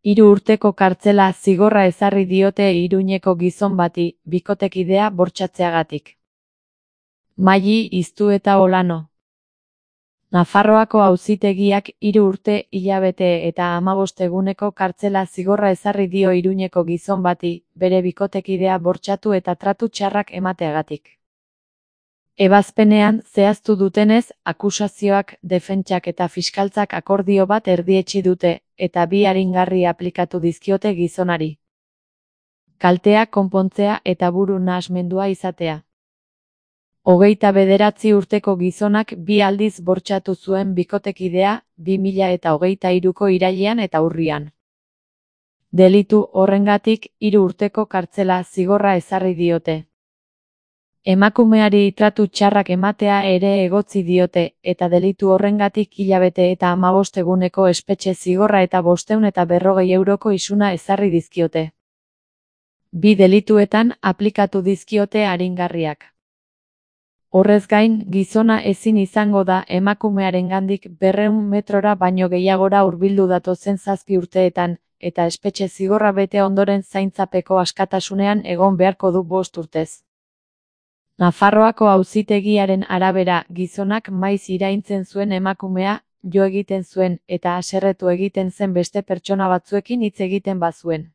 3 urteko kartzela zigorra ezarri diote Iruñeko gizon bati, bikotekidea bortxatzeagatik. Maili Iztueta Olano. Nafarroako auzitegiak 3 urte, hilabete eta 15 eguneko kartzela zigorra ezarri dio Iruñeko gizon bati, bere bikotekidea bortxatu eta tratu txarrak emateagatik. Ebazpenean zehaztu dutenez, akusazioak, defentsak eta fiskaltzak akordio bat erdietsi dute, eta 2 aringarri aplikatu dizkiote gizonari. Kaltea konpontzea eta buru nahasmendua izatea. 29 urteko gizonak 2 aldiz bortxatu zuen bikotekidea, 2023ko irailean eta urrian. Delitu horrengatik 3 urteko kartzela zigorra ezarri diote. Emakumeari tratu txarrak ematea ere egotzi diote, eta delitu horrengatik hilabete eta 15 eguneko espetxe zigorra eta 540 euroko isuna ezarri dizkiote. 2 delituetan aplikatu dizkiote aringarriak. Horrez gain, gizona ezin izango da emakumearengandik 200 metrora baino gehiagora hurbildu datozen 7 urteetan, eta espetxe zigorra bete ondoren zaintzapeko askatasunean egon beharko du 5 urtez. Nafarroako auzitegiaren arabera, gizonak maiz iraintzen zuen emakumea, jo egiten zuen, eta haserretu egiten zen beste pertsona batzuekin hitz egiten bazuen.